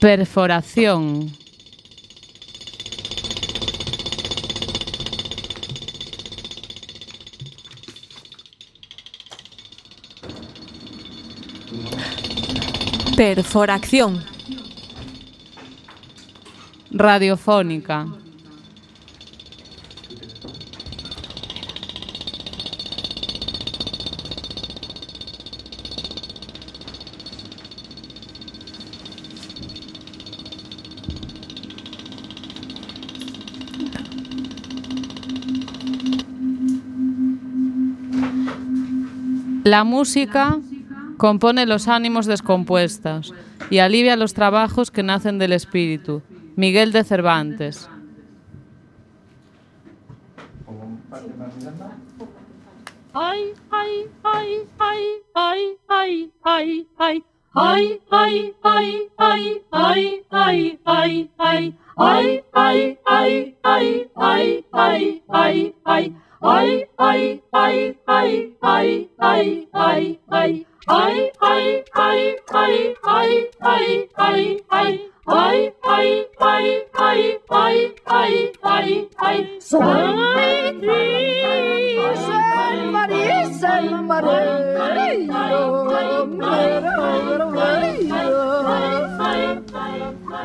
Perforación. Perforación. Radiofónica. La música compone los ánimos descompuestos y alivia los trabajos que nacen del espíritu. Miguel de Cervantes. Ay, ay, ay, ay, ay, ay, ay, ay. Ay, ay, ay, ay, ay, ay, ay, ay. Ay, ay, ay, ay, ay, ay, ay, ay. Ay, ay, ay, ay, ay, ay, ay, ay. Ay, ay, ay, ay, ay, ay, ay, ay. Ay, ay, ay, ay, ay, ay, ay, ay. Soy Cris, el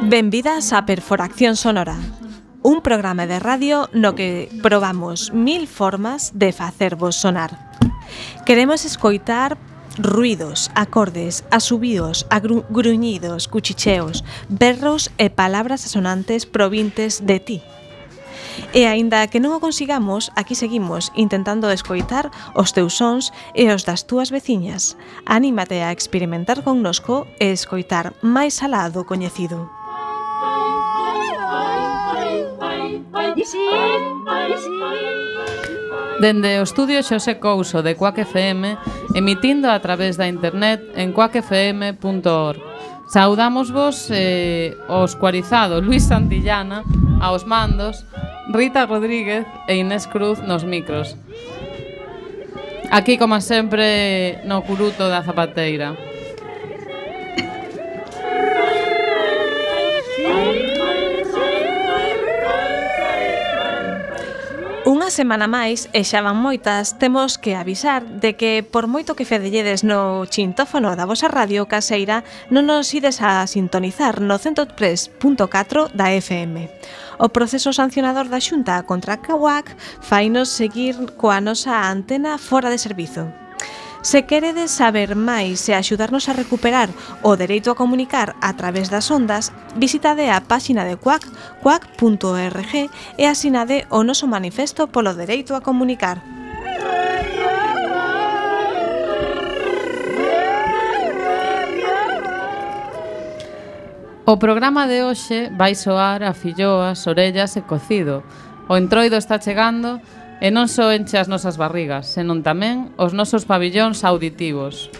Benvidas a Perforación Sonora, un programa de radio no que probamos 1000 formas de facervos sonar. Queremos escoitar ruidos, acordes, asubíos, gruñidos, cuchicheos, berros e palabras asonantes provintes de ti. E aínda que non o consigamos, aquí seguimos intentando escoitar os teus sons e os das túas veciñas. Anímate a experimentar connosco e escoitar máis alá do coñecido. Dende o estudio Xosé Couso de Cuac FM, emitindo a través da internet en cuacfm.org. Saudámosvos o escuarizado Luis Santillana aos mandos, Rita Rodríguez e Inés Cruz nos micros. Aquí, como sempre, no curuto da zapateira. Unha semana máis, e xa van moitas, temos que avisar de que por moito que fedelledes no chintófono da vosa radio caseira, non nos ides a sintonizar no 103.4 da FM. O proceso sancionador da Xunta contra a CAUAC fainos seguir coa nosa antena fora de servizo. Se queredes saber máis e axudarnos a recuperar o dereito a comunicar a través das ondas, visitade a páxina de Cuac, cuac.org e asinade o noso manifesto polo dereito a comunicar. O programa de hoxe vai soar a filloas, orellas e cocido. O entroido está chegando e non só enche as nosas barrigas, senón tamén os nosos pabillóns auditivos.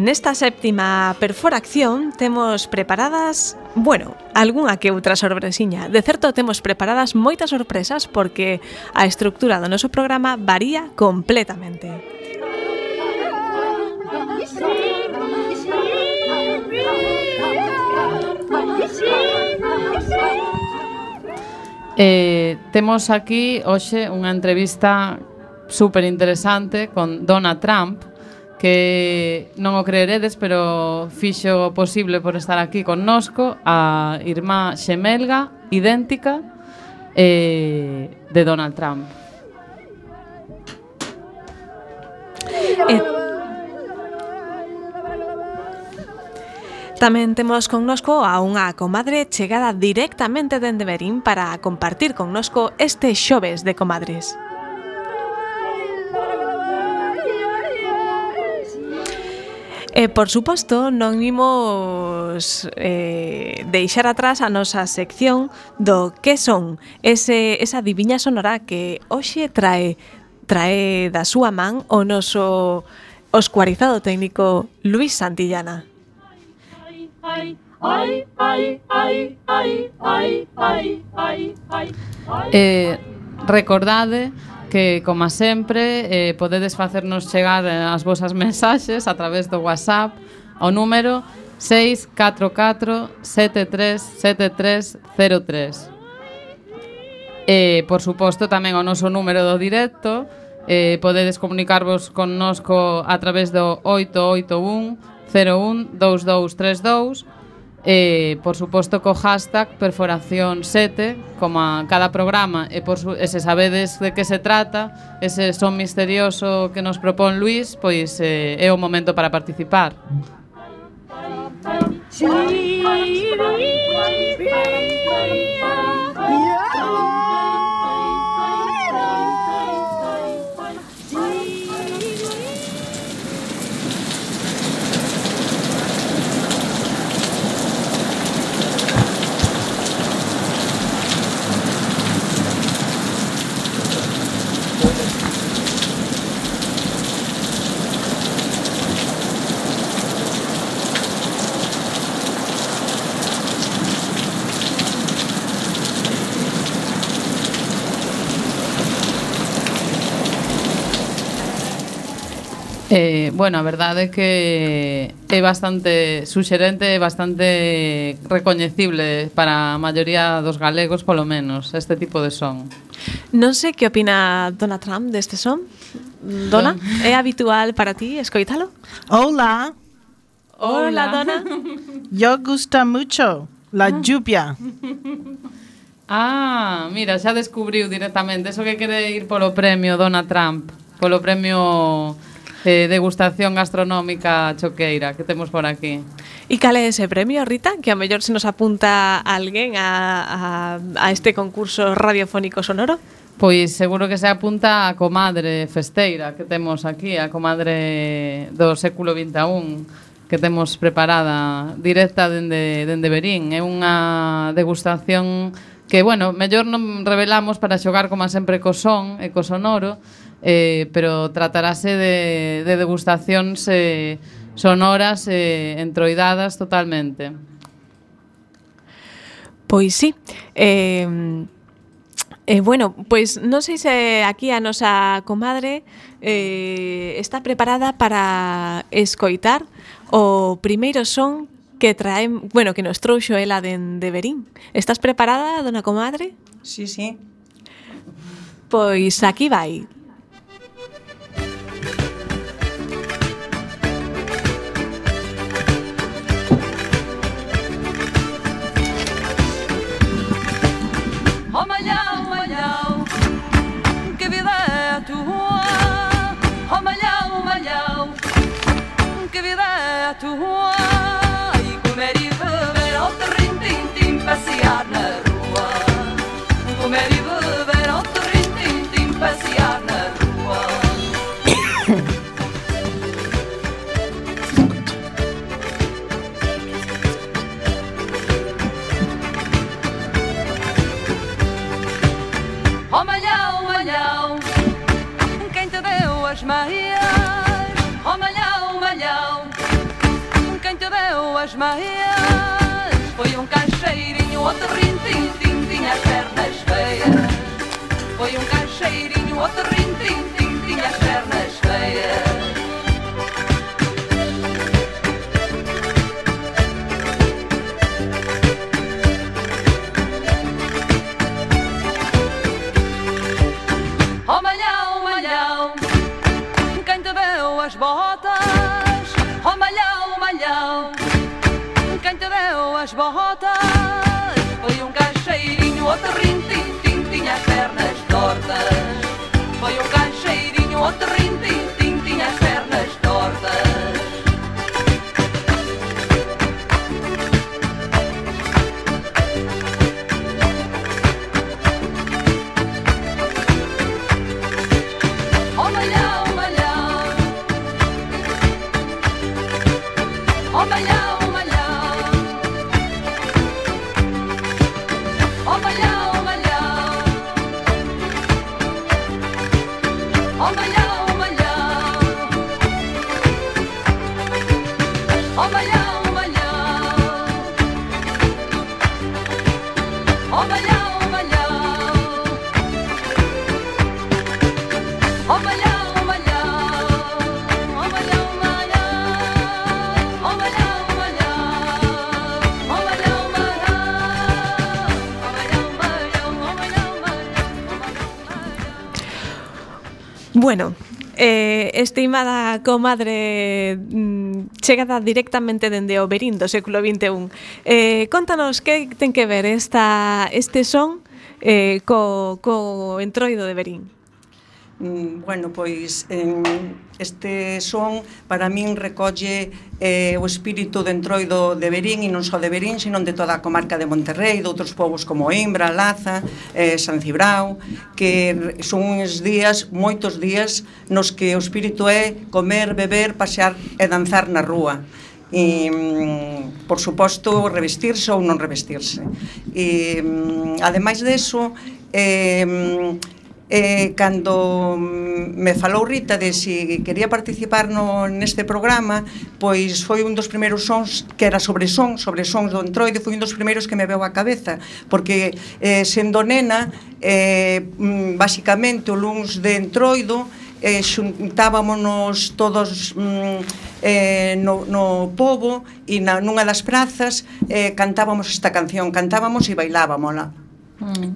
Nesta séptima perforación temos preparadas, algunha que outra sorpresiña. De certo temos preparadas moitas sorpresas porque a estructura do noso programa varía completamente. Temos aquí hoxe unha entrevista super interesante con Dona Trump, que non o creeredes, pero fixo o posible por estar aquí connosco, a irmá xemelga, idéntica, de Donald Trump. Tamén temos connosco a unha comadre chegada directamente dende Berín para compartir connosco este xoves de comadres. E, por suposto, non imos deixar atrás a nosa sección do que son esa diviña sonora que hoxe trae da súa man o noso escuarizado técnico Luis Santillana. Recordade que, como sempre, podedes facernos chegar as vosas mensaxes a través do WhatsApp ao número 644 73 7303. Por suposto, tamén o noso número do directo. Podedes comunicarvos connosco a través do 881 01 2232. Por suposto, co hashtag Perforación 7, como a cada programa, e se sabedes de que se trata, ese son misterioso que nos propón Luis, pois é o momento para participar. Bueno, a verdade é que é bastante suxerente e bastante recoñecible para a maioría dos galegos, polo menos, este tipo de son. Non sei que opina Dona Trump deste son. Dona, é habitual para ti escoitalo? Hola, Hola, Dona. yo gusta mucho la lluvia. Ah, mira, xa descubriu directamente eso que quere ir polo premio Dona Trump, polo premio degustación gastronómica choqueira que temos por aquí. E cal é ese premio, Rita? Que a mellor se nos apunta alguén a este concurso radiofónico sonoro. Pois seguro que se apunta a comadre festeira que temos aquí, a comadre do século XXI, que temos preparada directa dende Verín. É unha degustación que, bueno, mellor non revelamos para xogar como sempre co son e co sonoro, pero tratarase de degustacións sonoras entroidadas totalmente. Pois sí. Bueno, pois non sei se aquí a nosa comadre está preparada para escoitar o primeiro son que que nos trouxo ela de Verín. Estás preparada, dona comadre? Sí, sí. Pois aquí vai. Oh, malhão, que vida é a tua? Oh, malhão, que vida é a tua? E comer e beber ao terrim-tim-tim, passear na rua. Comer e beber ao terrim-tim-tim, passear na rua. Oh, malhão, quem te deu as meias? Oh, malhão, quem te deu as meias? Foi um cancheirinho, outro rim-tim-tim, tinha as pernas feias. Foi um cancheirinho, outro rim-tim-tim, tinha as pernas feias. Oh, malhão, quem te deu as botas? Oh, malhão, quem te deu as botas? Foi um cancheirinho, outro rim-tim-tim, tinha as pernas tortas. Foi um cancheirinho, outro rim-tim-tim, tinha as pernas tortas. Oh, malhão, oh, malhão, oh, malhão, Bueno, estimada comadre chegada directamente dende o Verín do século XXI, contanos que ten que ver este son co entroido de Verín. Bueno, pois este son para min recolle o espírito de entroido de Verín, e non só de Verín, sino de toda a comarca de Monterrei, de outros povos como Oimbra, Laza, San Cibrao, que son uns días, moitos días, nos que o espírito é comer, beber, pasear e danzar na rúa. E, por suposto, revestirse ou non revestirse. E, ademais deso, cando me falou Rita de se quería participar neste programa, pois foi un dos primeiros sons que era sobre sons do entroido, foi un dos primeiros que me veu á cabeza, porque sendo nena, basicamente o luns de entroido xuntábamonos todos no pobo e nunha das prazas cantábamos esta canción, cantábamos e bailábamola.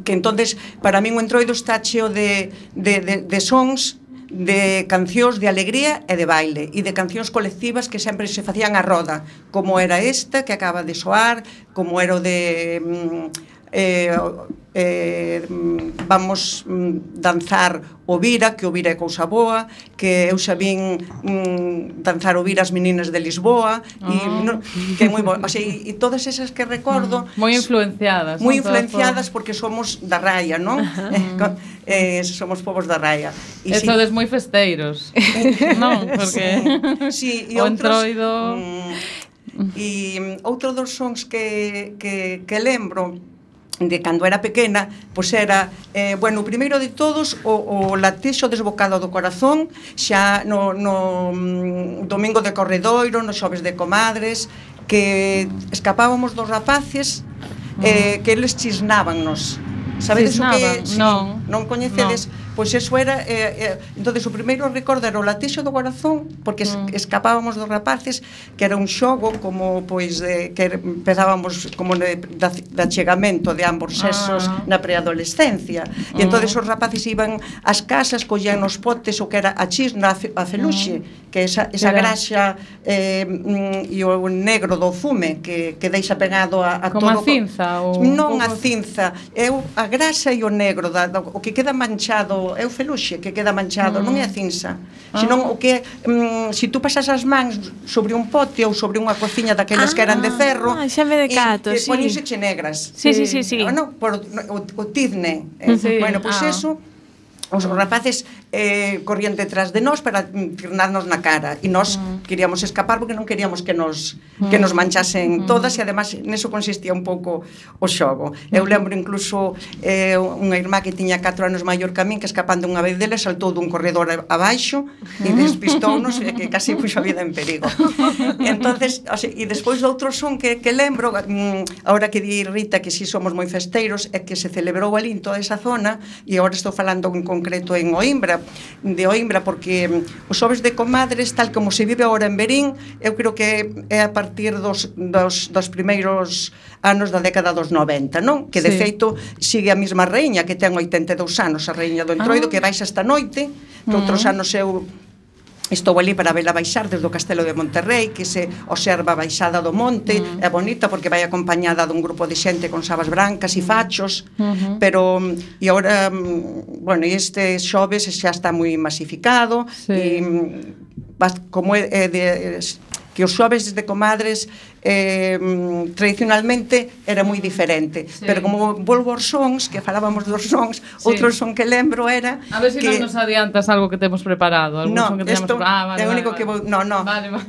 Que entonces para min o entroido está cheo de sons, de cancións de alegría e de baile, e de cancións colectivas que sempre se facían a roda, como era esta que acaba de soar, como era o de vamos danzar o Vira, que o Vira é cousa boa, que eu xa vin danzar o Vira as meninas de Lisboa, que é moi bo, o sea, e todas esas que recordo moi influenciadas, porque somos da raia, non? Somos povos da raia. E sodes moi festeiros, non? Porque sí, o entroido... E outro dos sons que lembro de cando era pequena, pois era, bueno, o primeiro de todos, o latexo desbocado do corazón, xa no domingo de Corredoiro, nos xoves de comadres, que escapábamos dos rapaces, que eles chisnábannos. Sabedes o que? Sí, non coñecedes? Pois eso era, entonces o primeiro recordo era o latexo do corazón, porque escapábamos dos rapaces, que era un xogo como, pois, que empezábamos como de achegamento de ambos sexos na preadolescencia, e entonces os rapaces iban ás casas, collían nos potes o que era a chisna, a feluxe, que esa graxa e o negro do fume que deixa pegado a como todo. Como a cinza? Non a cinza, é a graxa e o negro, o que queda manchado, é o feluxe que queda manchado, non é a cinza, senón o que se tú pasas as mans sobre un pote ou sobre unha cociña daqueles que eran de ferro, xa me decato, e poñíseche negras. Sí. Bueno, por o tizne. Bueno, pois eso, os rapaces corrían detrás de nós para tirnarnos na cara, e nós queríamos escapar porque non queríamos que nos manchasen todas, e además neso consistía un pouco o xogo. Eu lembro incluso unha irmá que tiña 4 anos maior que a min, que escapando unha vez dele saltou dun corredor abaixo e despistounos, e que casi puxo a vida en perigo. Entonces, e despois do outro son que lembro, ahora que di Rita que si somos moi festeiros, é que se celebrou ali en toda esa zona, e agora estou falando en concreto en Oimbra, porque os xoves de comadres, tal como se vive agora en Verín, eu creo que é a partir dos primeiros anos da década dos 90, non? Que de feito sigue a mesma reiña, que ten 82 anos, a reiña do entroido, que baixa esta noite, que outros anos eu estou ali para vela baixar desde o Castelo de Monterrei, que se observa a baixada do monte, é bonita porque vai acompañada dun grupo de xente con sabas brancas e fachos, pero e agora, bueno, este xoves xa está moi masificado, e como é que os xoves de comadres tradicionalmente era moi diferente, pero como volvo aos sons, que falábamos dos sons, outro son que lembro era a ver se non nos adiantas algo que temos preparado, algún son que teñamos vale, único que o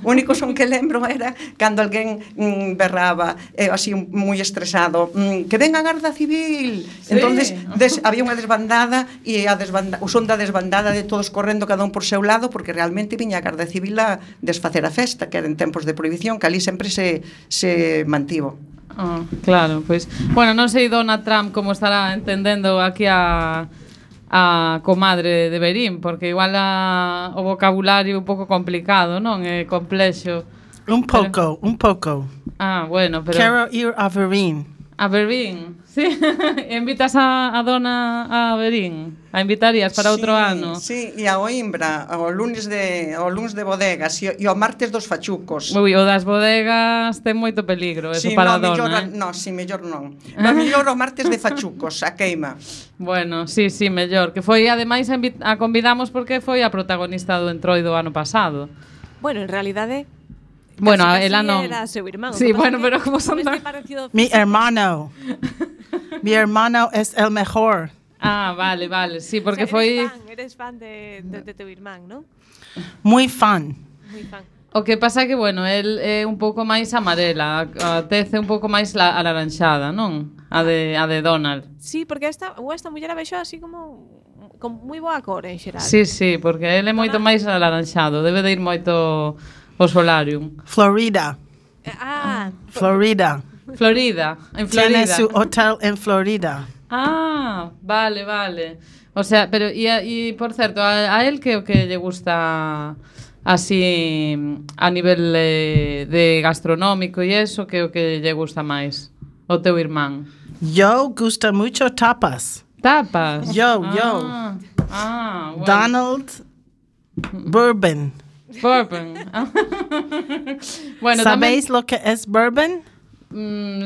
único son que lembro era cando alguén berraba así moi estresado, que ven a Garda Civil, entonces había unha desbandada, e o son da desbandada de todos correndo cada un por seu lado, porque realmente viña a Garda Civil a desfacer a festa, que era en tempos de prohibición, que ali sempre se mantivo. Claro, pois, bueno, non sei Dona Trump como estará entendendo aquí a comadre de Verín, porque igual o vocabulario é un pouco complicado, non? É complexo. Un pouco. Bueno, pero... Quero ir a Verín. A Berín, sí. Invitas a dona a Berín? A invitarías para outro ano? Sí, e a Oimbra, ao lunes de bodegas e ao martes dos fachucos. Ui, o das bodegas ten moito peligro, eso para a dona, mellor non. A mellor o martes de fachucos, a queima. Bueno, sí, mellor. Que foi, ademais, a convidamos porque foi a protagonista do Entroido ano pasado. Bueno, en realidade... Bueno, ela non. Era seu irmán. Sí, bueno, pero como son tan... Mi hermano. Mi hermano es el mejor. Ah, vale, sí, porque o sea, foi... Eres fan de teu irmán, non? Muy fan. Moi fan. O que pasa é que, bueno, el é un pouco máis amarela, a tez é un pouco máis alaranxada, non? A de Donald. Sí, porque esta muller a vexo así como con moi boa cor en xeral. Sí, porque el é moito máis alaranxado, debe de ir moito ao solarium. Florida. Florida. En Florida. Tiene su hotel en Florida. Ah, vale. O sea, pero e por certo, a él que o que lle gusta así a nivel de gastronómico e eso, que o que lle gusta máis? O teu irmán? Yo gusta mucho tapas. Tapas? Yo. Bueno. Donald Bourbon. Bueno, ¿sabéis lo que es bourbon?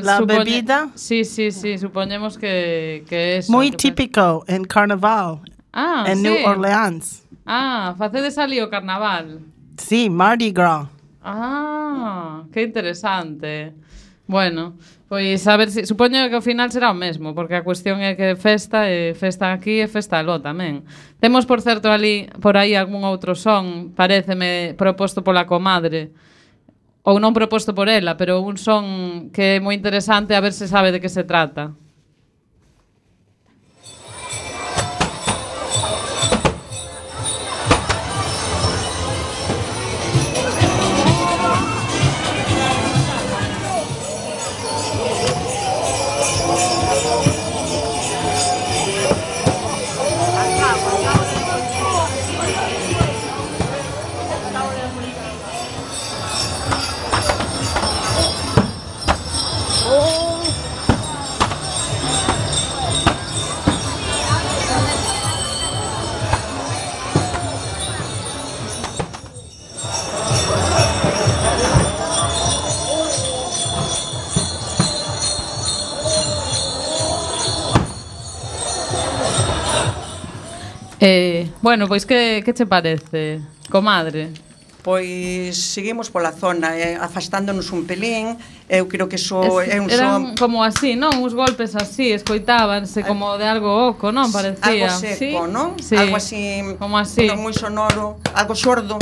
La bebida. Sí, suponemos que es muy típico en carnaval. En New Orleans. Facedes ali o carnaval. Sí, Mardi Gras. Que interesante. Bueno, pois a ver si supoño que ao final será o mesmo, porque a cuestión é que festa aquí e festa aló tamén. Temos, por certo, ali por aí algún outro son, paréceme proposto pola comadre, ou non proposto por ela, pero un son que é moi interesante, a ver se sabe de que se trata. Bueno, pois que che parece, comadre? Pois seguimos pola zona, afastándonos un pelín. Eu creo que é un son como así, non? Uns golpes así, escoitábanse como de algo oco, non? Parecía. Algo seco, non? Sí. Algo así, como así, moi sonoro, algo xordo,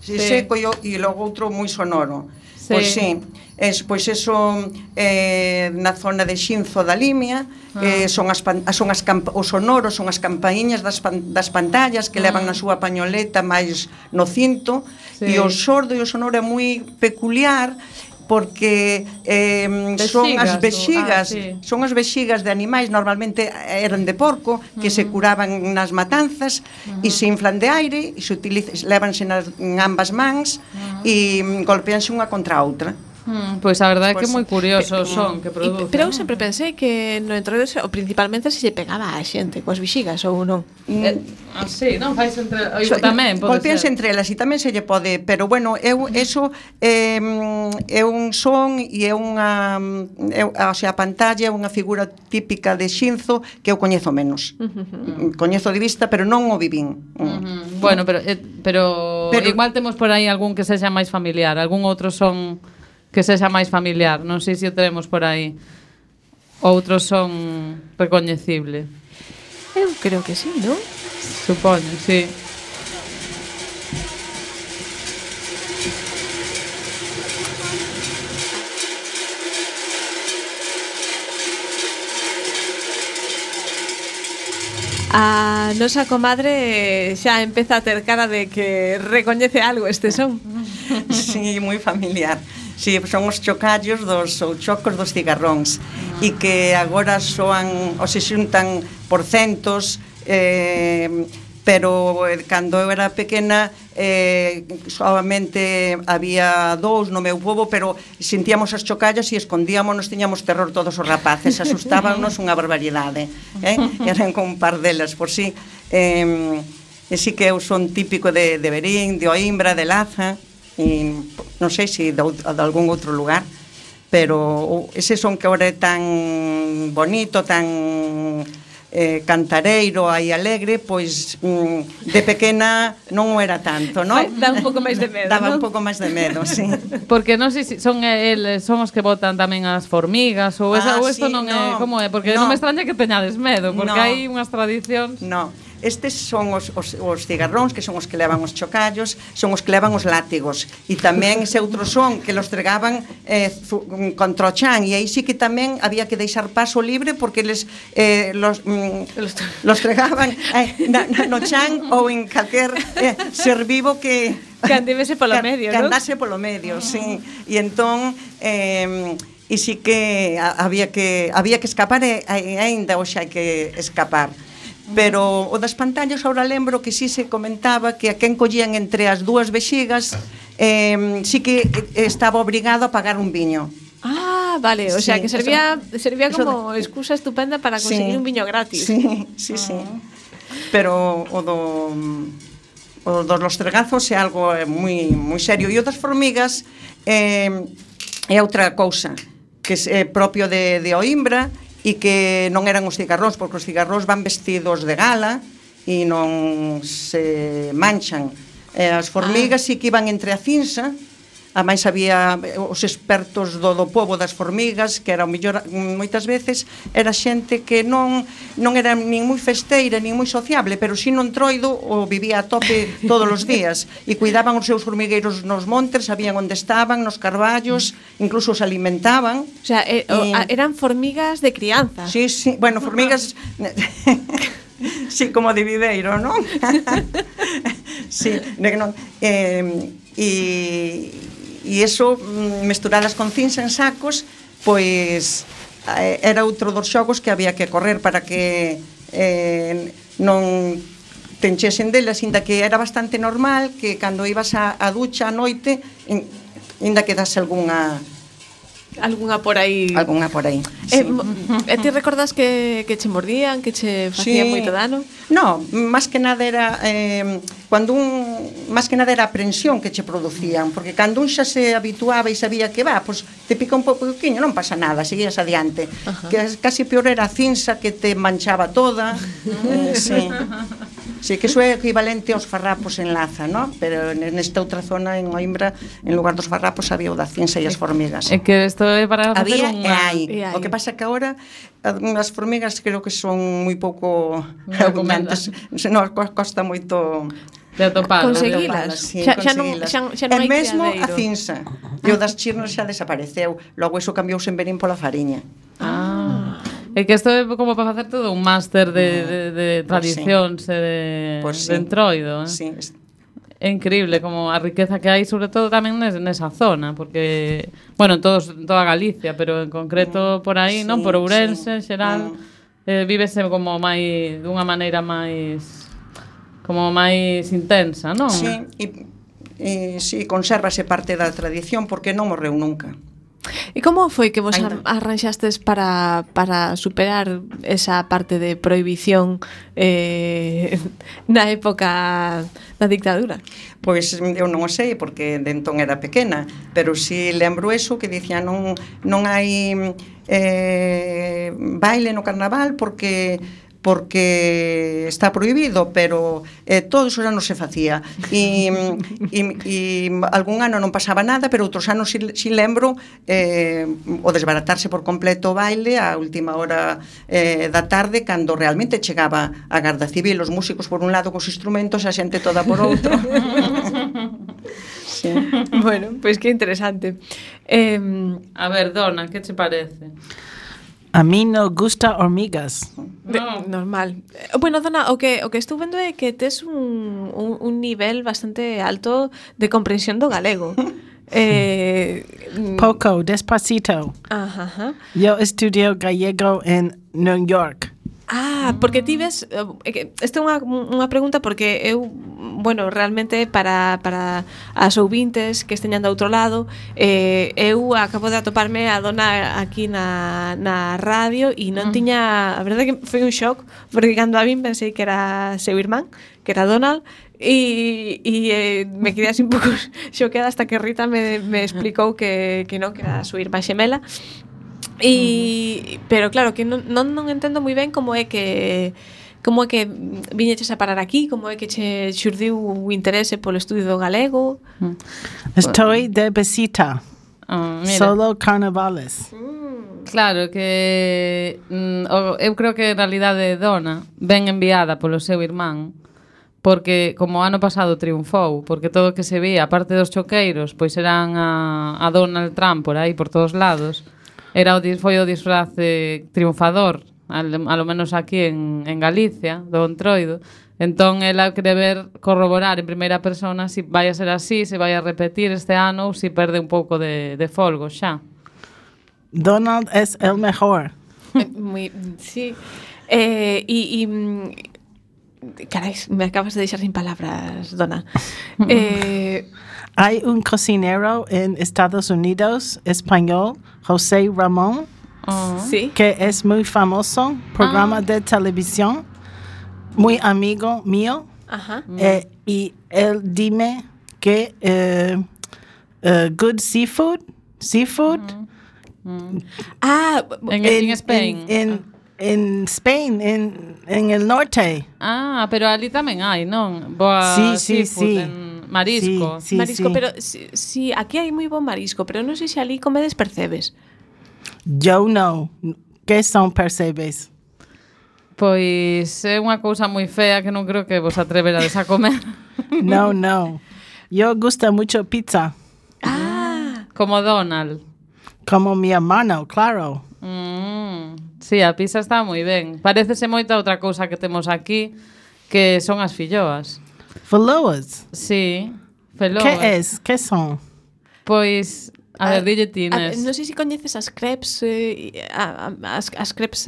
seco e logo outro moi sonoro. Pois sí, pois eso na zona de Xinzo da Limia, os sonoros, son as campaíñas das pantallas que levan na súa pañoleta máis no cinto, e o xordo e o sonoro é moi peculiar porque son as vexigas de animais, normalmente eran de porco, que se curaban nas matanzas e se inflan de aire e levanse en ambas mans e golpeanse unha contra a outra. Pois a verdade é que é moi curioso o son que produce. Pero eu sempre pensei que no entroido principalmente se lle pegaba a xente coas vexigas ou non. Sí, non fais entre tamén pode golpeanse entre elas e tamén se lle pode, pero bueno, eso é un son e é unha o sea, a pantalla é unha figura típica de Xinzo que eu coñezo menos. Coñezo de vista, pero non o vivín. Bueno, pero igual temos por aí algún que sexa máis familiar, algún outro son que sexa máis familiar, non sei se o teremos por aí. Outros son recoñecible. Eu creo que sí, non? Supoño, sí. A nosa comadre xa empeza a ter cara de que recoñece algo este son. Sí, moi familiar. Sí, son os chocallos ou chocos dos cigarróns e que agora soan ou se xuntan por centos, pero cando eu era pequena solamente había 2 no meu pobo, pero sentíamos as chocallas e escondíamonos, tiñamos terror todos os rapaces, asustábamos unha barbaridade, eran con un par delas por si. E sí que eu son típico de Verín, de Oimbra, de Laza, e non sei se de algún outro lugar, pero ese son que ahora é tan bonito, tan cantareiro e alegre, pois de pequena non o era tanto, non? Dá un pouco máis de medo, Daba non? un pouco máis de medo, sí. Porque non sei se son os que botan tamén as formigas ou isto sí, non é, como é? Porque non me extraña que teñades medo, porque hai unhas tradicións. No. Estes son os cigarróns, que son os que levan os chocallos, son os que levan os látigos, e tamén ese outro son que los tregaban contra o chan, e aí sí que tamén había que deixar paso libre porque los tregaban no chan ou en calquer ser vivo que andese polo medio, que non? andase polo medio, sí. E entón e sí que había que escapar, e aínda hoxe hai que escapar. Pero o das pantallas ahora lembro que sí se comentaba que a quen collían entre as dúas vexigas sí que estaba obrigado a pagar un viño. Ah, vale, o sea que servía como excusa estupenda para conseguir un viño gratis. Sí. Pero o dos lostregazos é algo moi serio. E o das formigas é outra cousa que é propio de Oimbra, e que non eran os cigarróns, porque os cigarróns van vestidos de gala e non se manchan. As formigas sí que iban entre a cinza, a máis había os expertos do pobo das formigas, que era o mellor, moitas veces era xente que non era nin moi festeira, nin moi sociable, pero si non Entroido o vivía a tope todos os días, e cuidaban os seus formigueiros nos montes, sabían onde estaban, nos carballos, incluso os alimentaban. O sea, eran formigas de crianza. Sí, bueno, formigas sí, como de videiro, non? Sí, non. E eso, mesturadas con cinza en sacos, pois era outro dos xogos que había que correr para que non te enchesen delas, inda que era bastante normal que cando ibas a ducha a noite, inda que dase algunha por aí. Sí. Ti recordas que che mordían, que che facían moito dano? No, máis que nada era máis que nada era a aprensión que che producían, porque cando un xa se habituaba e sabía que pois te pica un pouquiño, non pasa nada, seguías adiante. Que casi peor era a cinza que te manchaba toda. Sí, que iso é equivalente aos farrapos en Laza, ¿no? Pero nesta outra zona, en Oimbra, en lugar dos farrapos había o da cinza e as formigas. É que isto é para facer Había, o que pasa que agora as formigas creo que son moi pouco argumentos, non, costa moito de atopar, conseguilas. Sí, xa non hai mesmo criadeiro. a cinza. E o das chirnas xa desapareceu. Logo iso cambiouse en Verín pola fariña. É que isto é como para facer todo un máster de tradicións e de Entroido. Sí. É increíble como a riqueza que hai, sobre todo tamén nesa zona, porque, bueno, toda Galicia, pero en concreto por aí, non? Por Ourense, en xeral, vívese como máis, dunha maneira máis, como máis intensa, non? Sí, e consérvase parte da tradición porque non morreu nunca. E como foi que vos arranxastes para superar esa parte de prohibición na época da dictadura? Pois eu non o sei, porque de entón era pequena, pero si lembro eso, que dicía non hai baile no carnaval porque está prohibido, pero todo eso xa non se facía e algún ano non pasaba nada, pero outros anos si lembro o desbaratarse por completo o baile a última hora da tarde, cando realmente chegaba a Garda Civil, os músicos por un lado cos instrumentos, a xente toda por outro. Sí. Bueno, pois que interesante. A ver, Dona, que che parece? A mí no gusta hormigas. Normal. Bueno, Dona, o que estou vendo é que tes un nivel bastante alto de comprensión do galego. Poco, despacito. Ajá. Yo estudio gallego en New York. Porque ti ves, esta é unha pregunta porque eu, bueno, realmente para as ouvintes que esteñan do outro lado, eu acabo de atoparme a Dona aquí na radio e non tiña, a verdade que foi un shock, porque cando a vin pensei que era seu irmán, que era Donald, e me quedei así un pouco xoqueada hasta que Rita me explicou que non, que era a súa irmá xemela. Pero claro, que non entendo moi ben como é que viñeches a parar aquí, como é que che xurdiu o interese polo estudio do galego. Estoy de visita. Solo carnavales. Claro que eu creo que en realidade Dona ven enviada polo seu irmán, porque como ano pasado triunfou, porque todo o que se vía, aparte dos choqueiros, pois eran a Donald Trump por aí, por todos lados. Foi o disfraz triunfador, a lo menos aquí en Galicia, do Entroido. Entón, ela quere corroborar en primeira persona se vai a ser así, se vai a repetir este ano ou se perde un pouco de folgo xa. Donald es el mejor. Sí. Carai, me acabas de deixar sin palabras, Dona. Hay un cocinero en Estados Unidos, español, José Ramón, ¿sí? que es muy famoso, programa de televisión, muy amigo mío. Ajá. Y él dime que good seafood. En Spain. En Spain, en el norte. Pero ali tamén hai, non? Boa seafood. Marisco. Sí, pero sí, aquí hai moi bon marisco, pero non sei se ali comedes percebes. Yo no. Que son percebes? Pois é unha cousa moi fea que non creo que vos atreverades a comer. No. Yo gusta mucho pizza. Como Donald. Como mi hermano, claro. Sí, a pizza está moi ben. Parécese moito a outra cousa que temos aquí, que son as filloas. Feloas? Sí, feloas. Que son? Pois, a ver, dille tines. Non sei se coñeces as crepes, as crepes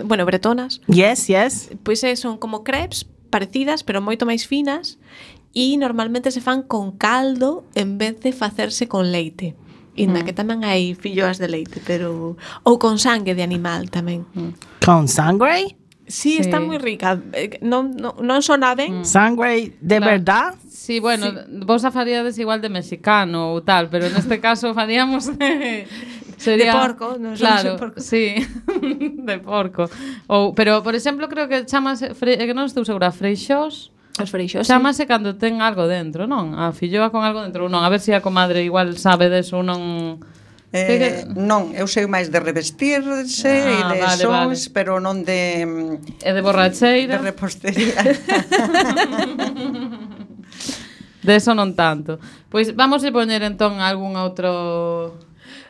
bretonas. Yes. Pois son como crepes parecidas, pero moito máis finas, e normalmente se fan con caldo en vez de facerse con leite. Inda que tamén hai filloas de leite, pero ou con sangue de animal tamén. Con sangre? Sí, está moi rica. Non sona ben. Sangre de verdad? Sí, bueno, vos a faríades igual de mexicano ou tal, pero neste caso faríamos sería de porco, non claro, porco. Sí, de porco. Pero, por exemplo, creo que chamase, que non estou segura, freixós. Os freixós, chamase cando ten algo dentro, non? A filloa con algo dentro, non? A ver se a comadre igual sabe deso ou non... Non, eu sei máis de revestirse e de sons, vale. Pero non de... E de borracheira. De repostería. De eso non tanto. Pois vamos a poñer entón algún outro...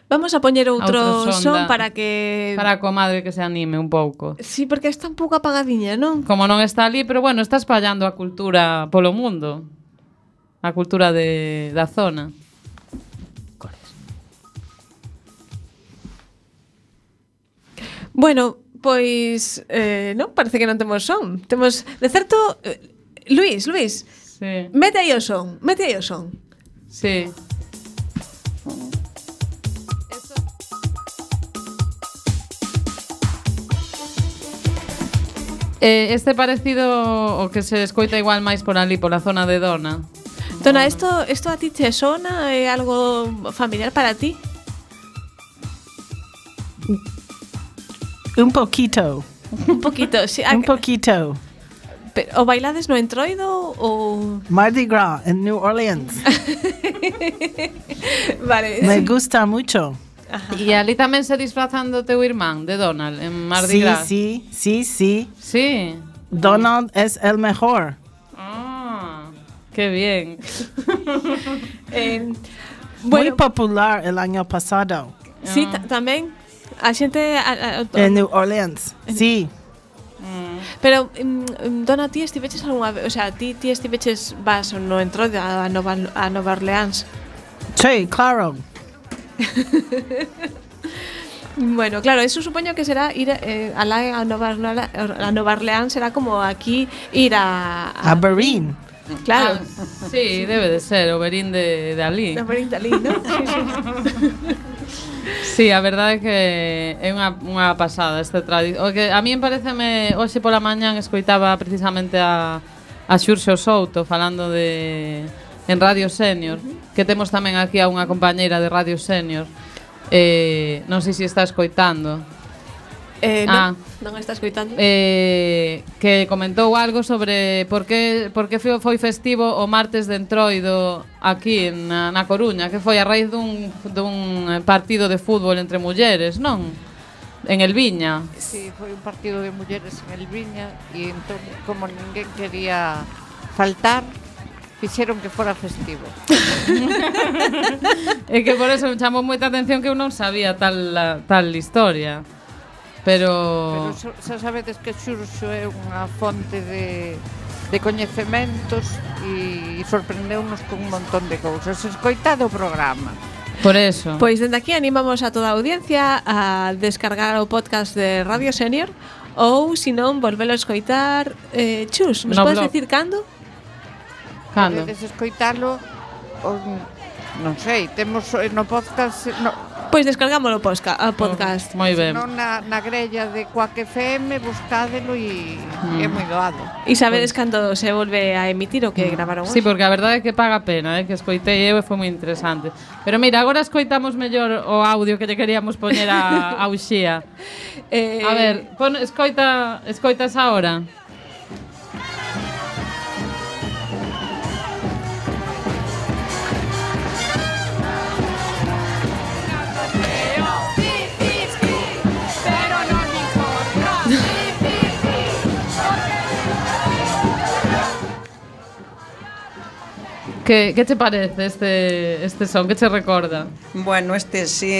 Vamos a poñer outro son para que... Para a comadre que se anime un pouco. Sí, porque está un pouco apagadiña, non? Como non está ali, pero bueno, está espallando a cultura polo mundo. A cultura da zona. Bueno, pois non, parece que non temos son. Temos, de certo, Luís, sí. Mete aí o son. Sí. Este parecido o que se escoita igual máis por ali, pola zona de Dona. Dona, isto a ti te sona? É algo familiar para ti? Un poquito, sí. Un poquito. O bailades no Entroido ou... Mardi Gras en New Orleans. Vale. Me gusta mucho. E ali tamén se disfrazan do teu irmán, de Donald, en Mardi Gras. Sí. Sí. Donald es el mejor. Qué bien. Muy popular el año pasado. Sí, tamén. A xente... En New Orleans, sí. Pero, Dona, ti estiveches algunha vez... O sea, ti estiveches vas no Entroido a Nova Orleans? Sí, claro. Bueno, claro, eso supoño que será ir a Nova Orleans, será como aquí ir a Berín. Claro. Sí, debe de ser o Berín de Alí. O Berín de Alí, ¿no? Sí, a verdade é que é unha pasada este tradición. A mí pareceme, hoxe pola mañán escoitaba precisamente a Xurxo Souto falando en Radio Senior, que temos tamén aquí a unha compañeira de Radio Senior. Non sei se está escoitando. Non está escoitando. Que comentou algo sobre por que foi festivo o martes de Entroido aquí na Coruña, que foi a raíz dun partido de fútbol entre mulleres, non? En Elviña. Sí, foi un partido de mulleres en Elviña e entón, como ninguén quería faltar, fixeron que fora festivo. É que por eso me chamou moita atención que eu non sabía tal historia. Pero xa sabedes que Xurxo é unha fonte de coñecementos e sorprendeunos con un montón de cousas. Escoitade o programa. Por eso. Pois dende aquí animamos a toda a audiencia a descargar o podcast de Radio Senior ou, se non, volvelo a escoitar. Chus, nos podes dicir cando? Cando? Podedes escoitalo, non sei, temos no podcast... Pois descargámoslo a podcast. Moi ben. Non na grella de Quack FM, buscádelo e é moi doado. E sabedes cando se volve a emitir o que gravaron hoxe? Sí, porque a verdade é que paga pena, que escoitei eu e foi moi interesante. Pero mira, agora escoitamos mellor o audio que lle queríamos poñer a Uxía. A ver, escoitas ahora. Que te parece este son? Que te recorda? Bueno, sí,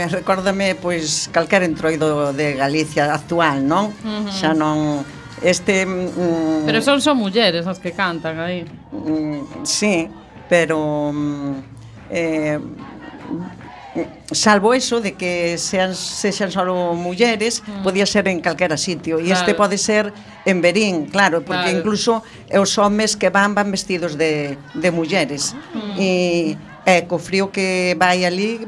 recórdame pois calquer entroido de Galicia actual, non? Xa non pero son mulleres as que cantan aí. Sí, pero salvo eso de que sexan solo mulleres, podía ser en calquera sitio. E este pode ser en Berín, claro, porque incluso os homes que van vestidos de mulleres. E co frío que vai ali,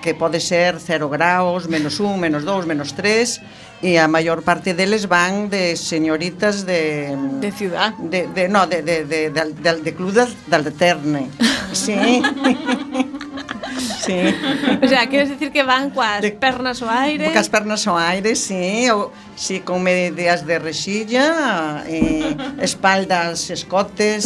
que pode ser 0 graus, -1, -2, -3, e a maior parte deles van de señoritas de ciudad. De Club d'Alterne. Sí. Sí. O sea, queres decir que van coas pernas ao aire? Coas pernas ao aire, sí, sí, con medias de rexilla, espaldas, escotes.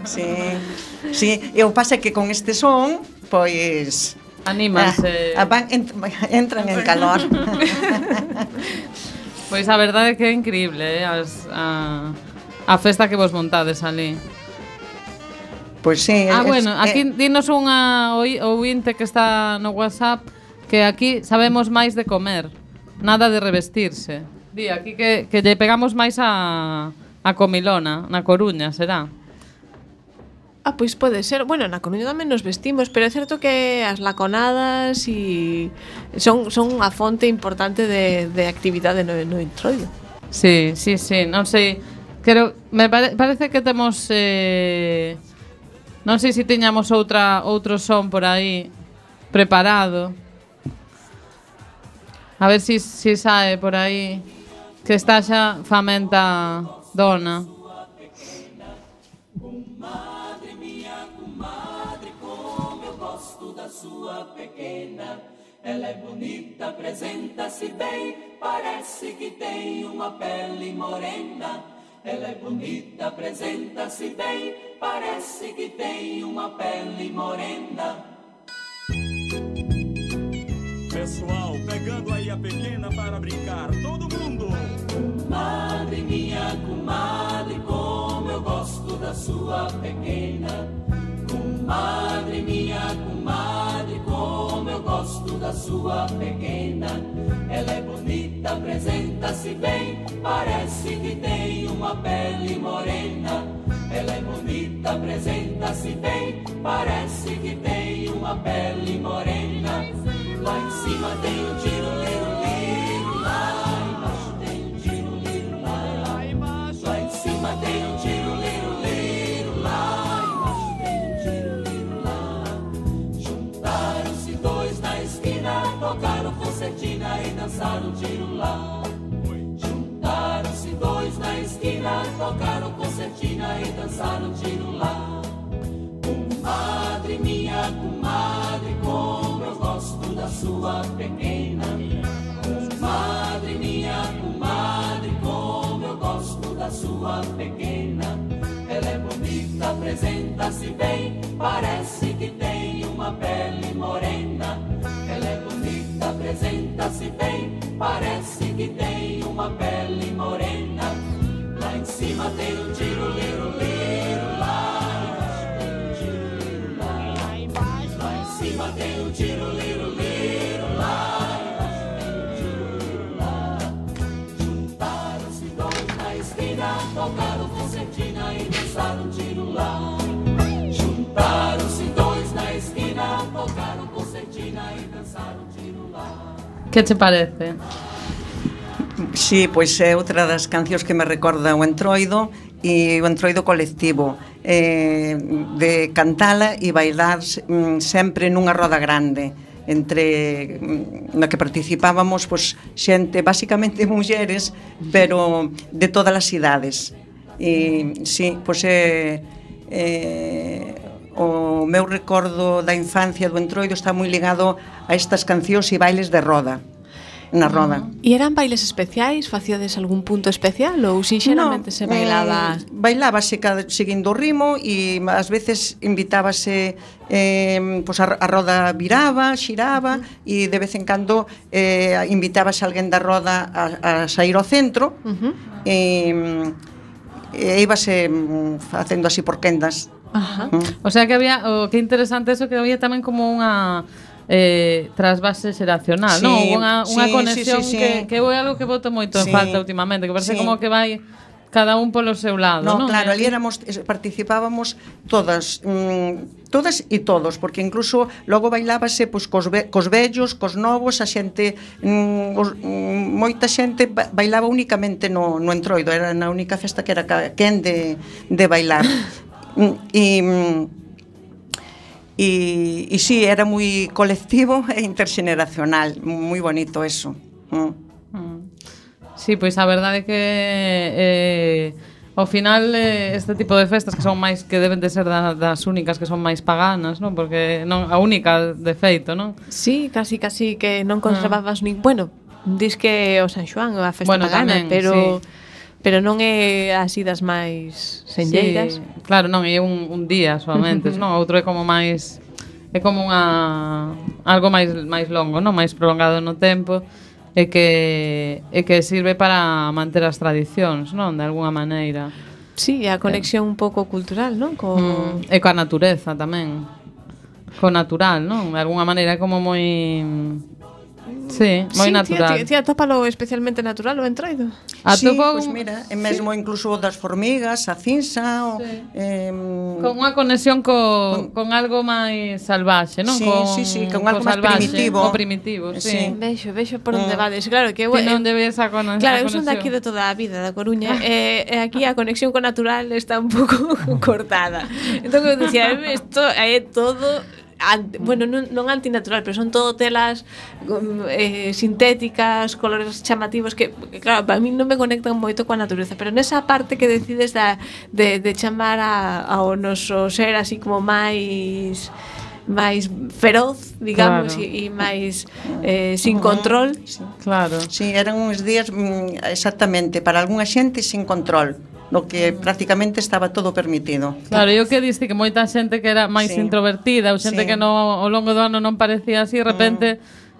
Sí. E o pasa é que con este son, pois anímanse. Entran en calor. Pois a verdade é que é increíble, a festa que vos montades ali. Pois sí. Bueno, aquí dinos unha ouvinte que está no WhatsApp que aquí sabemos máis de comer, nada de revestirse. Di aquí que lle pegamos máis a comilona, na Coruña, será? Pois pode ser. Bueno, na Coruña tamén nos vestimos, pero é certo que as laconadas son unha fonte importante de actividade no Entroido. Sí, non sei, me parece que temos non sei se tiñamos outro son por aí preparado. A ver se sae por aí, que está xa famenta dona. Comadre minha, comadre, como eu gosto da sua pequena. Ela é bonita, apresenta-se bem, parece que tem uma pele morena. Ela é bonita, apresenta-se bem, parece que tem uma pele morena. Pessoal, pegando aí a pequena para brincar, todo mundo! Comadre minha, comadre, como eu gosto da sua pequena. Comadre minha, comadre, como eu gosto da sua pequena. Ela é bonita, apresenta-se bem, parece que tem uma pele morena. Ela é bonita, apresenta-se bem, parece que tem uma pele morena. Lá dançar um tiro lá. Juntaram-se dois na esquina, tocaram concertina e dançaram um tiro lá. Comadre, minha comadre, como eu gosto da sua pequena. Comadre, minha comadre, como eu gosto da sua pequena. Ela é bonita, apresenta-se bem, parece que tem uma pele morena. Ela é bonita, apresenta-se bem, parece que tem uma pele morena. Lá em cima tem um tiro, liro, liro, lá embaixo tem um tiro, liro, lá em cima tem um tiro, liro, liro, lá embaixo tem um tiro, liro, lá. Juntaram-se dois na esquina, tocaram concertina e dançaram um tiro lá. Juntaram-se dois na esquina, tocaram concertina e dançaram um tiro lá. Que te parece? Sí, pois é outra das cancións que me recorda o Entroido e o Entroido colectivo, de cantala e bailar sempre nunha roda grande entre na que participábamos pois xente, basicamente mulleres, pero de todas as idades. E sí, pois o meu recordo da infancia do Entroido está moi ligado a estas cancións e bailes de roda. Na roda. E eran bailes especiais? Facíades algún punto especial ou sinxeramente se bailaba? Bailábase seguindo o ritmo e ás veces invitábase pois a roda viraba, xiraba e de vez en cando invitábase alguén da roda a sair ao centro e íbase facendo así por quendas. O sea que había, que interesante eso, que había tamén como unha trasvase xeracional, sí, non? Unha conexión sí. que é algo que boto moito en falta últimamente, que parece como que vai cada un polo seu lado, non? Claro, ali participábamos todas e todos, porque incluso logo bailábase pois cos vellos, cos novos, a xente moita xente bailaba únicamente no Entroido, era na única festa que era quen de bailar. E sí, era moi colectivo e interxeneracional, moi bonito eso. Sí, pois a verdade é que ao final este tipo de festas que son máis, que deben de ser das únicas que son máis paganas, non? Porque non a única de feito, non? Sí, casi que non conservabas nin, bueno, dis que o San Xoán a festa pagana, tamén, pero sí. Pero non é así das máis senlleiras. Sí, claro, non, é un día solamente, non? Outro é como máis, é como algo máis longo, non? Máis prolongado no tempo e que sirve para manter as tradicións, non? De alguna maneira. Sí, a conexión un pouco cultural, non? E coa natureza tamén. Co natural, non? De alguna maneira é como moi... Sí, moi natural. Ti atópalo especialmente natural o Entroido? Sí, pois mira, e mesmo incluso das formigas, a cinza, con unha conexión con algo máis salvaxe, non? Sí, con algo máis primitivo. O primitivo, sí. Vexo por onde vades. Claro que non debe esa conexión. Claro, eu son daqui de toda a vida, da Coruña, e aquí a conexión co natural está un pouco cortada. Entón eu dicía, isto é todo bueno, non antinatural, pero son todo telas sintéticas, colores chamativos que claro, para mí non me conectan moito coa natureza, pero nesa parte que decides de chamar ao noso ser así como máis feroz, digamos, e máis sin control. Claro. Sí, eran uns días exactamente para algunha xente sin control, no que prácticamente estaba todo permitido. Claro, e o que diste que moita xente que era máis introvertida, ou xente que ao longo do ano non parecía así, de repente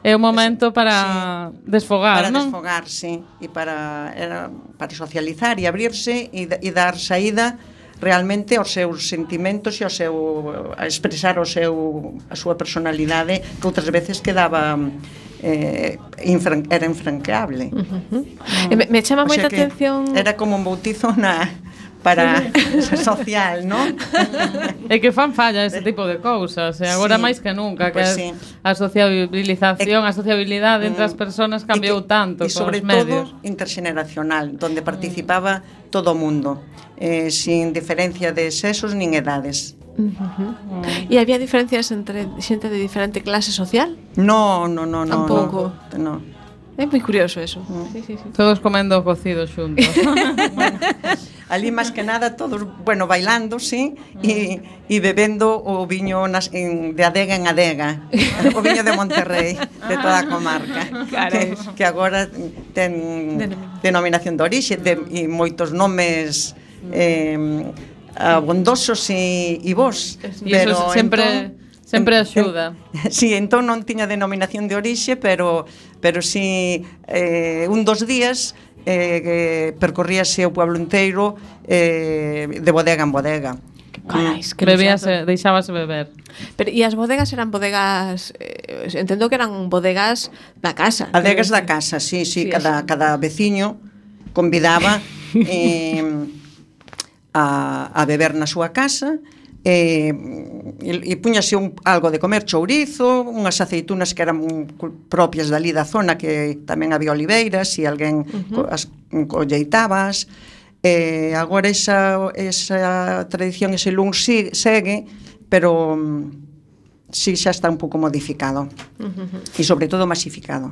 é o momento para desfogar, non? Para desfogar, sí, e para socializar e abrirse e dar saída realmente aos seus sentimentos e a expresar a súa personalidade, que outras veces quedaba era infranqueable. Me chama moita atención. Era como un bautizo para social, non? É que fan falla ese tipo de cousas, e agora máis que nunca, que a sociabilización, a sociabilidade entre as persoas cambiou tanto cos medios. E sobre todo interxeneracional, donde participaba todo o mundo, sin diferencia de sexos nin edades. E había diferencias entre xente de diferente clase social? No. Tampouco. No. É moi curioso eso. Sí. Todos comendo cocido xuntos. Bueno, ali máis que nada todos, bueno, bailando, sí, e bebendo o viño de adega en adega. O viño de Monterrey, de toda a comarca. Que agora ten denominación de orixe e moitos nomes abondosos e bons. E iso sempre axuda. Sí, entón non tiña denominación de orixe, pero sí, un dos días percorríase o pueblo inteiro de bodega en bodega. Carais, que deixábase beber. Pero e as bodegas eran bodegas, entendo que eran bodegas da casa. Bodegas da casa, sí, cada veciño convidaba a beber na súa casa. E puñase algo de comer, chourizo, unhas aceitunas que eran propias dali da zona, que tamén había oliveiras e alguén as colleitabas. Agora esa tradición, ese lun segue, pero sí xa está un pouco modificado e sobre todo masificado.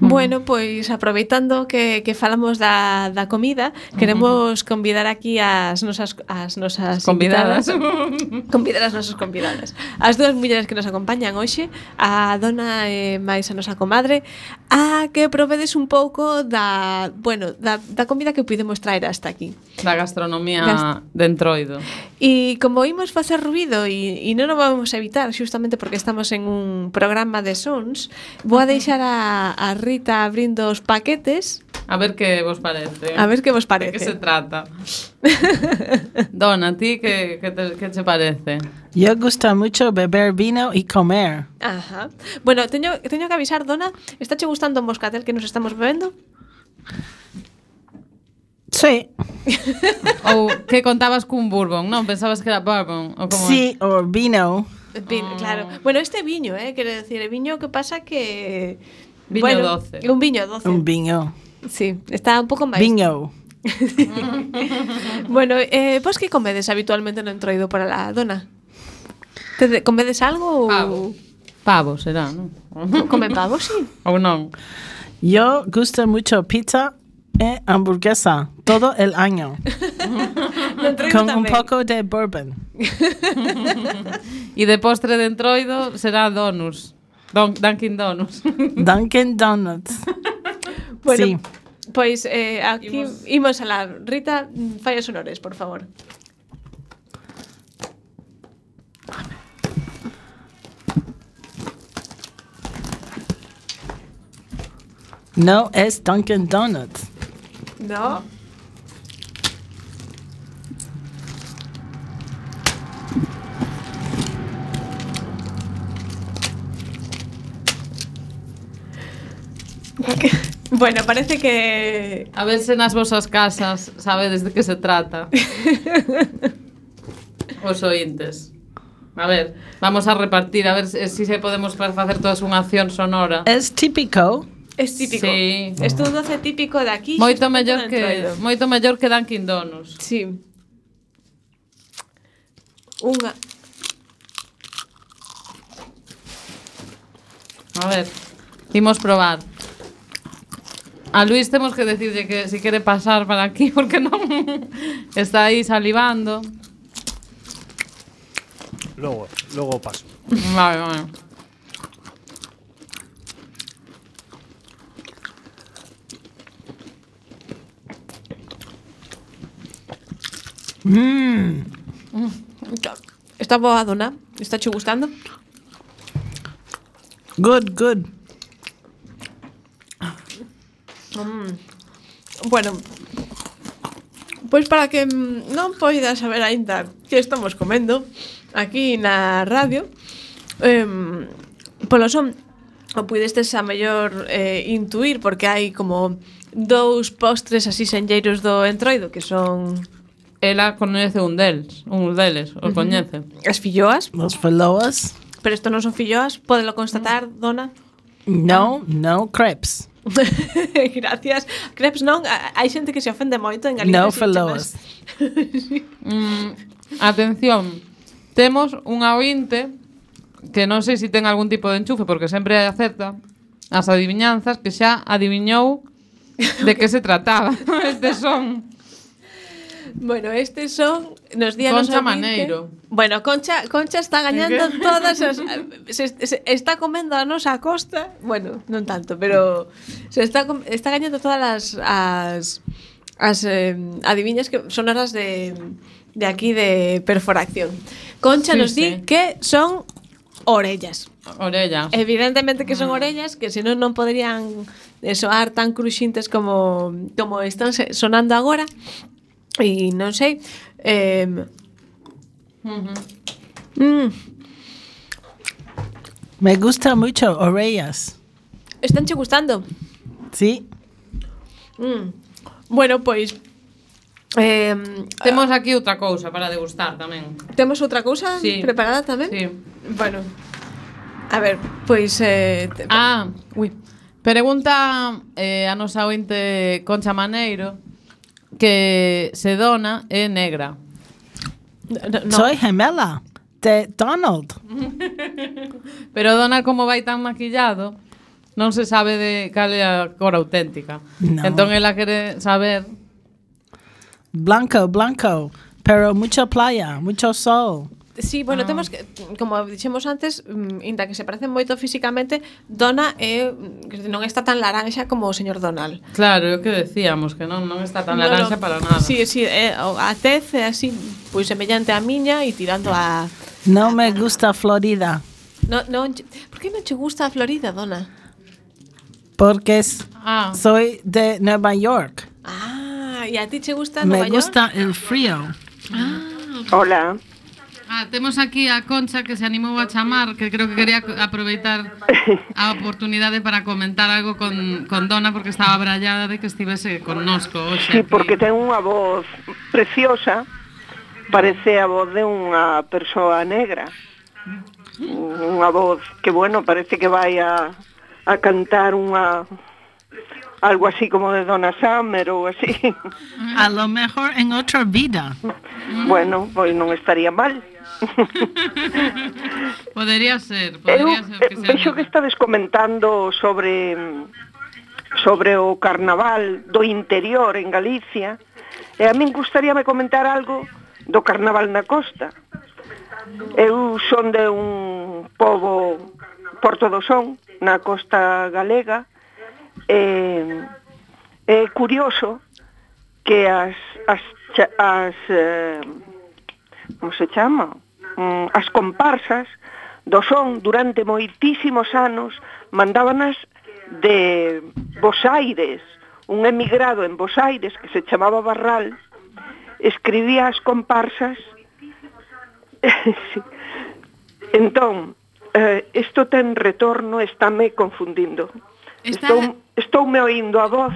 Bueno, pois aproveitando que falamos da comida, queremos convidar aquí as nosas convidadas. Convidar as nosas convidadas. As dúas mulleres que nos acompañan hoxe, a dona e máis a nosa comadre, a que provedes un pouco da comida que pudemos traer hasta aquí. Da gastronomía de Entroido. E como imos facer ruido e non o vamos a evitar xustamente porque estamos en un programa de sons, vou a deixar a Rita abrindo os paquetes. A ver que vos parece. A ver que vos parece. De que se trata. Dona, a ti que te parece? Yo gusta mucho beber vino y comer. Ajá. Bueno, teño que avisar, Dona, ¿está che gustando o moscatel que nos estamos bebendo? Sí. Ou que contabas cun bourbon, non? Pensabas que era bourbon ou como sí, o vino. Claro. Bueno, este viño, quere decir, el viño que pasa que viño doce. Un viño doce. Un viño. Sí, está un pouco máis. Viño. Bueno, vos que comedes habitualmente no Entroido para la Dona? Comedes algo ou pavo será, non? Comen pavo, sí. Ou non? Yo gusta mucho pizza y hamburguesa todo el año. Con un poco de bourbon. E de postre de Entroido será donuts. Dunkin' Donuts. Dunkin' Donuts. Bueno, sí. Pois aquí imos a la Rita, fai os honores, por favor. No es Dunkin' Donuts. No. Bueno, parece que... A ver se nas vosas casas sabedes de que se trata. Os ointes. A ver, vamos a repartir, a ver si se podemos facer todas unha acción sonora. Es típico. Es típico. Sí. Es un doce típico de aquí. Moito mellor que Dunkin' Donuts. Sí. Unha. A ver, imos probar. A Luis temos que decirle que si quere pasar para aquí porque non está aí salivando. Logo paso. Vale. Está boa, Dona? Está che gustando? Good. Bueno, pois para que non poida saber aínda que estamos comendo aquí na radio, polo son o puidestes a mellor intuir, porque hai como dous postres así senlleiros do Entroido que son... Ela coñece un deles, o coñece. As filloas. Os filloas. Pero isto non son filloas, pódelo constatar, Dona? No, crepes. Gracias. Crepes non, hai xente que se ofende moito en Galicia. No filloas. Atención, temos unha ointe que non sei se ten algún tipo de enchufe porque sempre acerta. as adivinanzas, que xa adiviñou de que se trataba este son. Bueno, estes son nos días Concha Maneiro. Bueno, Concha está gañando todas as se está comendo a nosa costa. Bueno, non tanto, pero se está gañando todas as adiviñas que son horas de aquí de perforación. Concha nos di que son orellas. Orellas. Evidentemente que son orellas, que senón non poderían soar tan cruxintes como están sonando agora. E non sei. Me gusta mucho orellas. ¿Están che gustando? Sí. Bueno, pois temos aquí outra cousa para degustar tamén. Temos outra cousa preparada tamén? Sí. Bueno. A ver, pois pregunta a nosa ointe Concha Maneiro que se Dona é negra. No. Soy gemela de Donald. Pero Donald, como vai tan maquillado, non se sabe de cal é a cor auténtica. No. Entón ela quere saber. Blanco, pero mucha playa, mucho sol. Sí, bueno, temos que, como dixemos antes, inda que se parecen moito físicamente, Donna non está tan laranxa como o señor Donald. Claro, é o que decíamos, que non está tan laranxa para nada. Sí, a tez é así, pois semellante á miña e tirando a... Non me gusta Florida. Por que non che gusta a Florida, Donna? Porque soy de Nueva York. E a ti che gusta Nueva York? Me gusta el frío. Hola. Temos aquí a Concha que se animou a chamar, que creo que quería aproveitar a oportunidade para comentar algo con Dona, porque estaba brallada de que estivese connosco hoxe. Sí, porque ten unha voz preciosa, parece a voz de unha persoa negra. Unha voz que, bueno, parece que vai a cantar algo así como de Donna Summer ou así. A lo mejor en otra vida. Bueno, pois non estaría mal. Podería ser que sea. Vexo que estades comentando sobre o carnaval do interior en Galicia, e a min gustaríame comentar algo do carnaval na costa. Eu son de un pobo, Porto do Son, na costa galega. É curioso que as como se chama? As comparsas do son durante moitísimos anos mandábanas de Bos Aires. Un emigrado en Bos Aires que se chamaba Barral escribía as comparsas. Sí. Entón, isto ten retorno, estáme confundindo. Estoume oindo a voz.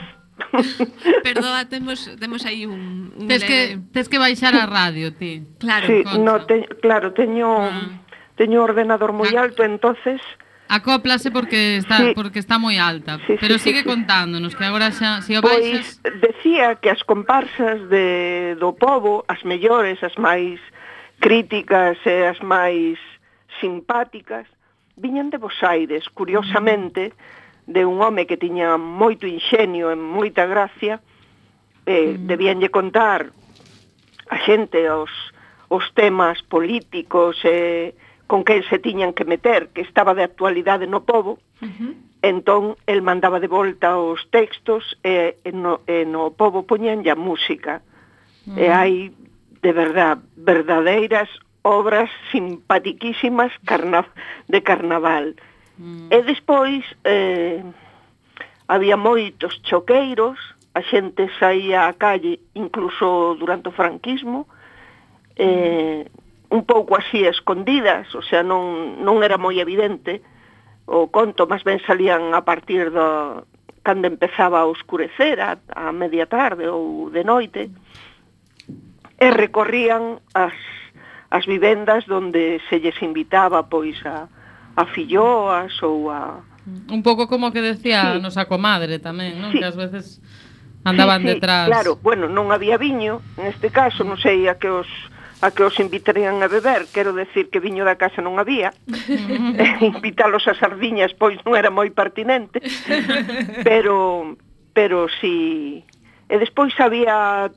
Perdoa, temos aí un tes que baixar a radio, ti. Claro, sí, teño ordenador moi alto, entonces acóplase porque está moi alta, pero sigue contándonos que agora xa se o baixas. Pois decía que as comparsas do pobo, as mellores, as máis críticas e as máis simpáticas, viñan de Bos Aires, curiosamente, de un home que tiña moito inxenio e moita gracia, debíanlle contar a xente os temas políticos con que se tiñan que meter, que estaba de actualidade no pobo. Entón, el mandaba de volta os textos e no pobo poñanlle a música. E hai, de verdad, verdadeiras obras simpatiquísimas de carnaval. E despois había moitos choqueiros, a xente saía á calle incluso durante o franquismo, un pouco así escondidas, o sea, non era moi evidente o conto, máis ben salían a partir cando empezaba a oscurecer, a media tarde ou de noite, e recorrían as vivendas donde se lles invitaba pois a filloas ou a... Un pouco como que decía a nosa comadre tamén, non? Que ás veces andaban detrás. Claro, bueno, non había viño, neste caso, non sei a que os a que os invitarían a beber, quero decir que viño da casa non había, invitalos a sardiñas pois non era moi pertinente, pero si... E despois había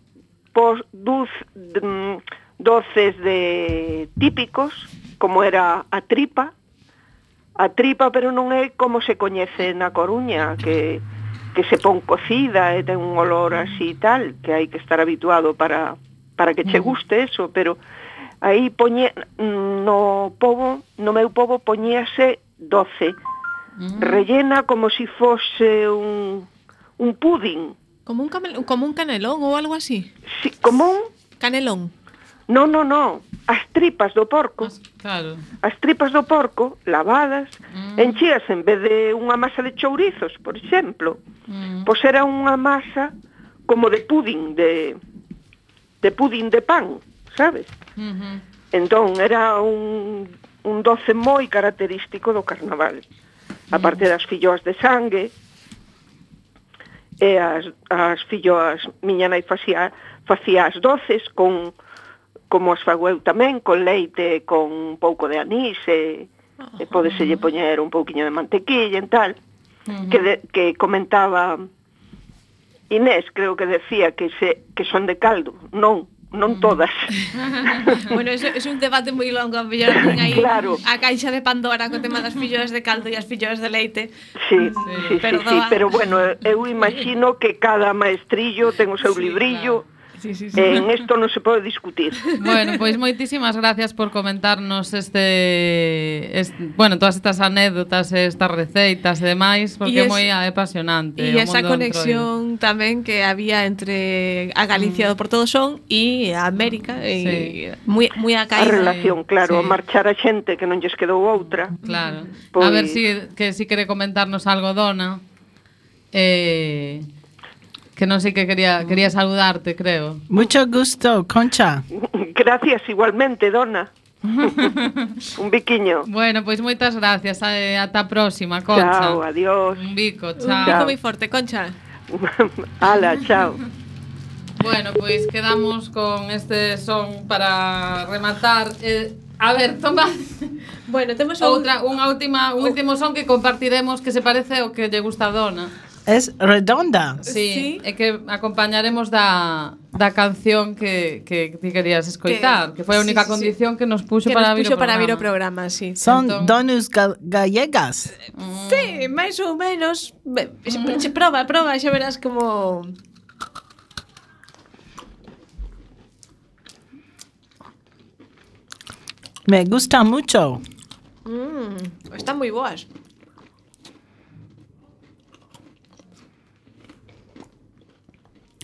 doces típicos, como era a tripa, pero non é como se coñece na Coruña, que se pon cocida e ten un olor así tal, que hai que estar habituado para que che guste eso, pero aí no meu pobo poñíase doce, rellena como si fose un pudín. Como un canelón ou algo así? Sí, como un... Canelón. No, as tripas do porco. Claro. As tripas do porco, lavadas, enchías en vez de unha masa de chourizos, por exemplo, pois era unha masa como de pudín, de pudín de pan, sabes? Entón, era un doce moi característico do carnaval. A parte das filloas de sangue, e as filloas, miña nai facía as doces como as fago eu tamén, con leite, con un pouco de anís, e podeselle poñer un pouquiño de mantequilla e tal, que comentaba Inés, creo que decía que son de caldo. Non todas. Bueno, eso é un debate moi longo, a mellor aí claro. A caixa de Pandora co tema das filloas de caldo e as filloas de leite. Sí, pero bueno, eu imagino que cada maestrillo ten o seu librillo. Claro. Sí. En esto non se pode discutir. Bueno, pois moitísimas gracias por comentarnos todas estas anécdotas, estas receitas e demais, porque é moi apasionante. E esa conexión tamén que había entre a Galicia do Portodosón e a América, moi a caída. A relación, claro, a marchar a xente que non lles quedou outra. Claro. A ver si quere comentarnos algo, Dona. Que non sei que quería saludarte, creo. Mucho gusto, Concha. Gracias, igualmente, Dona. Un biquiño. Bueno, pois moitas gracias. Ata a próxima, Concha. Chao, adiós. Un bico, chao. Un bico moi forte, Concha. Ala, chao. Bueno, pois quedamos con este son para rematar. A ver, toma. Bueno, temos un último son que compartiremos que se parece ao que lle gusta a Dona. Es redonda. Sí, é que acompañaremos da canción que ti querías escoitar, que foi a única condición que nos puxo para vir o programa, sí. Son donas gallegas. Sí, máis ou menos. Prova, xa verás como... Me gusta mucho. Están moi boas.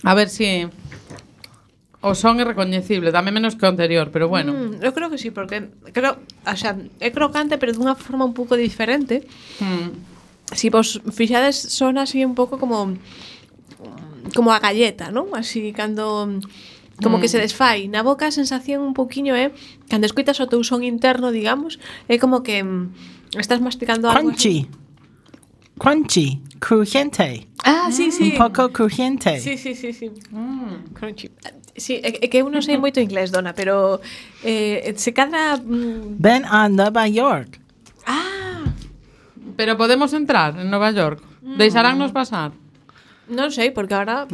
A ver si o son é recoñecible, dame menos que o anterior, pero bueno. Eu creo que sí, porque é crocante, pero dunha forma un pouco diferente. Si vos fixades, son así un pouco como a galleta, non? Así cando como que se desfai na boca, a sensación un pouquiño é cando escoitas o teu son interno, digamos, é como que estás masticando algo Crunchy, crujiente. Ah, sí. Un pouco crujiente. Sí. Crunchy. Sí, é que eu non sei moito inglés, Dona, pero se cadra... Ven a Nova York. Pero podemos entrar en Nova York. Deixaránnos pasar? Non sei, porque ahora...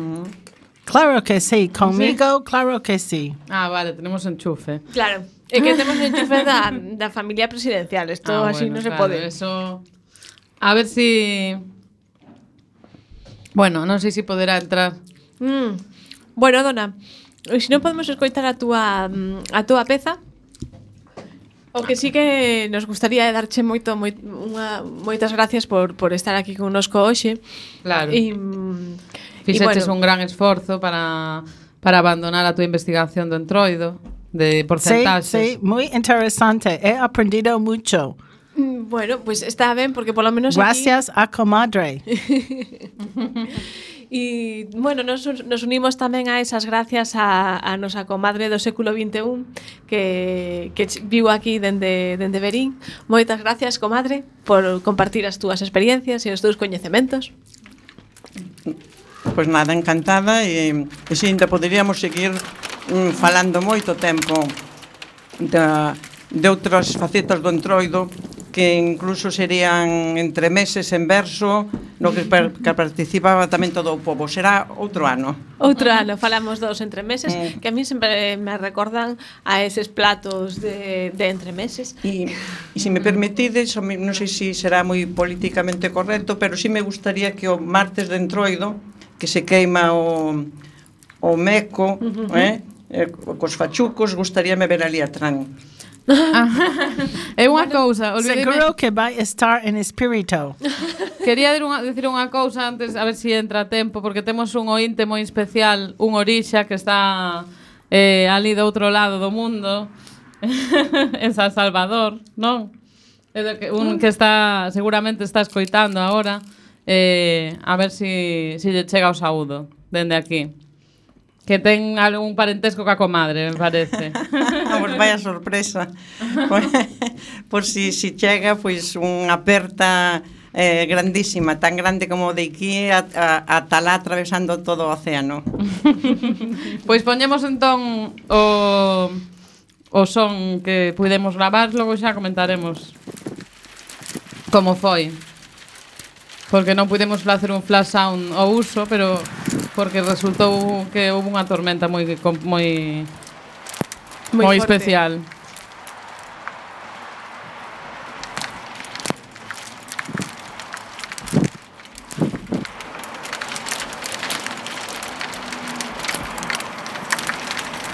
Claro que sí, conmigo, claro que sí. Ah, vale, tenemos enchufe. Claro, é que temos enchufe da familia presidencial. Isto así non se pode. Eso... A ver si... Bueno, non sei se poderá entrar. Bueno, Dona, se non podemos escoitar a túa peza, o que sí que nos gustaría é darche moitas gracias por estar aquí connosco hoxe. Claro. Fixeches un gran esforzo para abandonar a túa investigación do entroido, de porcentaxes. Sí, moi interesante. He aprendido mucho. Bueno, pues está ben, porque polo menos gracias aquí... a comadre. E, bueno, nos unimos tamén a esas gracias a nosa comadre do século XXI que vivo aquí dende Verín. Moitas gracias, comadre, por compartir as túas experiencias e os teus coñecementos. Pois nada, encantada, e ainda poderíamos seguir falando moito tempo de outras facetas do Entroido, que incluso serían entremeses en verso, no que participaba tamén todo o pobo. Será outro ano. Outro ano, falamos dos entremeses, que a mí sempre me recordan a eses platos de entremeses. E se me permitides, non sei se será moi políticamente correcto, pero sí me gustaría que o martes de Entroido, que se queima o meco, cos fachucos, gustaríame ver ali a Tran. É unha cousa, seguro que vai estar en espírito. Quería decir unha cousa antes, a ver se entra a tempo, porque temos un ointe moi especial, un orixa que está ali do outro lado do mundo, en San Salvador, non? Un que está, seguramente está escoitando agora, a ver se lle chega o saúdo dende aquí. Que ten algún parentesco ca comadre, me parece. Pois vaya sorpresa. Por si chega, pois unha aperta grandísima, tan grande como de aquí ata lá atravesando todo o océano. Pois poñemos entón o son que pudemos gravar, logo xa comentaremos como foi. Porque non pudemos facer un flash sound ao uso, pero porque resultou que houve unha tormenta moi especial.